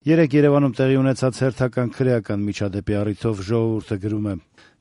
Երեկ Երևանում տեղի ունեցած հերթական քրեական միջադեպի առիթով «Ժողովուրդ»-ը գրում է.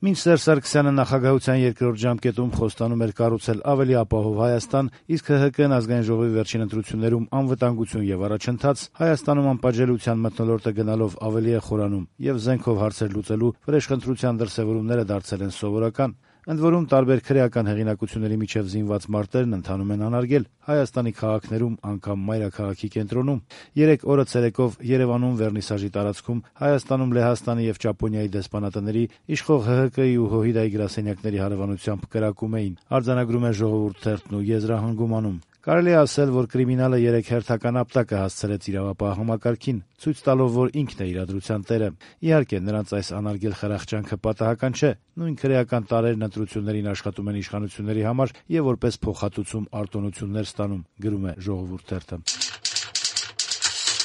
«Մինչ Սերժ Սարգսյանը նախագահության երկրորդ ժամկետում խոստանում էր կառուցել ավելի ապահով Հայաստան, իսկ ՀՀԿ-ն Ազգային ժողովի վերջին ընտրություններում անվտանգություն եւ առաջընթաց, Հայաստանում անպատժելիության մթնոլորտը գնալով ավելի է խորանում եւ զենքով հարցեր լուծելու վրեժխնդրության դրսեւորումները դարձել են սովորական։ Ընդ որում տարբեր քրեական հեղինակությունների միջև զինված մարտերն ընթանում են անարգել Հայաստանի քաղաքներում, անգամ մայրաքաղաքի կենտրոնում։ Երեկ օրը ցերեկով Երևանում Վերնիսաժի տարածքում Հայաստանում Լեհաստանի եւ Ճապոնիայի դեսպանատների իշխող ՀՀԿ-ի ու ՀՅԴ-ի գրասենյակների հարևանությամբ կրակում էին, արձանագրում է «Ժողովուրդ» թերթն ու եզրահանգում անում։ Կարելի է ասել, որ կրիմինալը երեկ հերթական ապտակը հասցրեց իրավապահ համակարգին, ցույց տալով, որ ինքն է իրադրության տերը։ Իհարկե, նրանց այս անարգել խրախճանքը պատահական չէ։ Նույն քրեական տարրերն ընտրություններին աշխատում են իշխանությունների համար եւ որպես փոխհատուցում արտոնություններ ստանում, գրում է «Ժողովուրդ» թերթը։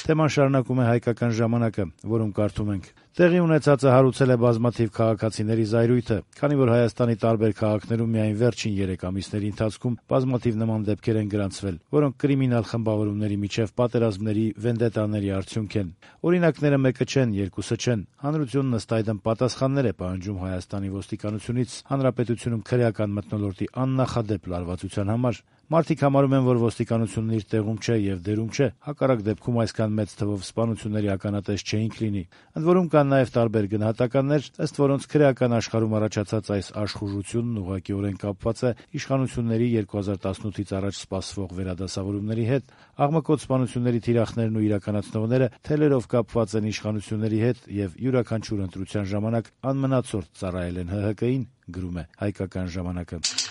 Թեման շարունակում է «Հայկական ժամանակ»-ը, որում կարդում ենք. «Տեղի ունեցածը հարուցել է բազմաթիվ քաղաքացիների զայրույթը, քանի որ Հայաստանի տարբեր քաղաքներում միայն վերջին 3 ամիսների ընթացքում բազմաթիվ նման դեպքեր են գրանցվել, որոնք կրիմինալ խմբավորումների միջև պատերազմների, վենդետաների արդյունք են։ Օրինակները մեկը չեն, երկուսը չեն։ Հանրությունն ըստ այդմ պատասխաններ է պահանջում Հայաստանի ոստիկանությունից հանրապետությունում քրեական մթնոլորտի աննախադեպ լարվածության համար։ Մարդիկ համարում են, որ ոստիկանությունն իր տեղում չէ եւ դերում չէ, հակառակ դեպքում այսքան մեծ թվով սպանությունների ականատես չէինք լինի։ Ընդ որում կան նաեւ տարբեր գնահատականներ, ըստ որոնց քրեական աշխարհում առաջացած այս աշխուժությունն ուղղակիորեն կապված է իշխանությունների 2018-ից առաջ սպասվող վերադասավորումների հետ։ Աղմկոտ սպանությունների թիրախներն ու իրականացնողները թելերով կապված են իշխանությունների հետ եւ յուրաքանչյուր ընտրության ժամանակ անմնացորդ ծառայել են ՀՀԿ-ին», գրում է «Հայկական ժամանակ»-ը։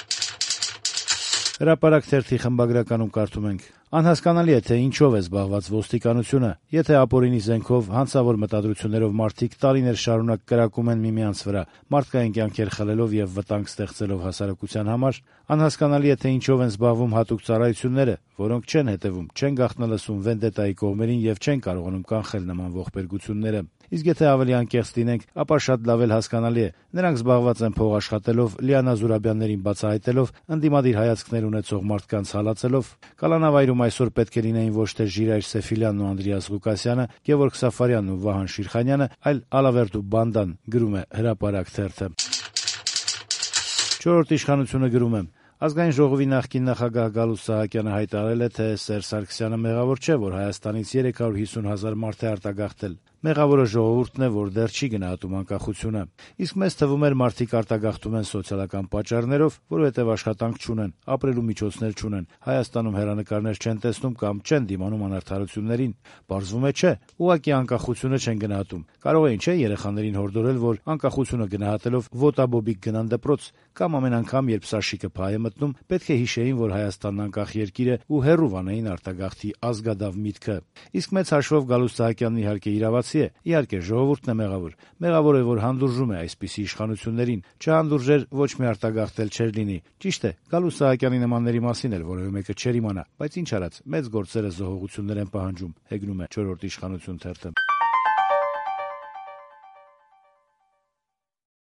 Հրապարակ թերթի խմբագրականում կարդում ենք. «Անհասկանալի է, թե ինչով է զբաղված ոստիկանությունը, եթե ապօրինի զենքով, հանցավոր մտադրություններով մարդիկ տարիներ շարունակ կրակում են միմյանց վրա, մարդկային կյանքեր խլելով եւ վտանգ ստեղծելով հասարակության համար, անհասկանալի է, թե ինչով են զբաղվում հատուկ ծառայությունները, որոնք չեն հետեւում, չեն գաղտնալսում վենդետայի կողմերին եւ չեն կարողանում կանխել նման ողբերգությունները։ Իսկ եթե ավելի անկեղծ լինենք, ապա շատ լավ էլ հասկանալի է. նրանք զբաղված են փող աշխատելով, Լիանա Զուրաբյաններին բացահայտելով, ընդդիմադիր հայացքներ ունեցող մարդկանց հալածելով։ Կալանավայրում այսօր պետք է լինեին ոչ թե Ժիրայր Սեֆիլյանն ու Անդրեաս Ղուկասյանը, Գևորգ Սաֆարյանն ու Վահան Շիրխանյանը, այլ Ալավերդ ու Բանդան», գրում է «Հրապարակ» թերթը։ «Չորրորդ իշխանություն»-ը գրում է. «Ազգային ժողովի նախկին նախագահ Գալուստ Սահակյանը հայտարարել է, թե Սերժ Սարգսյանը մեղավոր չէ, որ Հայաստանից 350 000 մարդ է արտագաղթել։ Մեղավորը ժողովուրդն է, որ դեռ չի գնահատում անկախությունը։ Իսկ մեզ թվում էր մարդիկ արտագաղթում են սոցիալական պատճառներով, որովհետև աշխատանք չունեն, ապրելու միջոցներ չունեն, Հայաստանում հեռանկարներ չեն տեսնում կամ չեն դիմանում անարդարություններին։ Պարզվում է չէ, ուղղակի անկախությունը չեն գնահատում։ Կարող էին չէ երեխաներին հորդորել, որ անկախությունը գնահատելով ոտաբոբիկ գնան դպրոց, կամ ամեն անգամ, երբ Սաշիկը փայ է մտնում, պետք է հիշեին, որ Հայաստանն անկախ երկիր է ու հեռու վանեին արտագաղթի ազգադավ միտքը։ Իսկ մեծ հաշվով Գալուստ Սահակյանն իհարկե իրավացի է, իհարկե ժողովուրդն է մեղավոր։ Մեղավոր է, որ հանդուրժում է այսպիսի իշխանություններին։ Չհանդուրժեր, ոչ մի արտագաղթել չէր լինի։ Ճիշտ է, Գալուստ Սահակյանի նմանների մասին էլ որևէ մեկը չէր իմանա, բայց ինչ արած, մեծ գործերը զոհողություններ են պահանջում, հեգնում է «Չորրորդ իշխանություն» թերթը։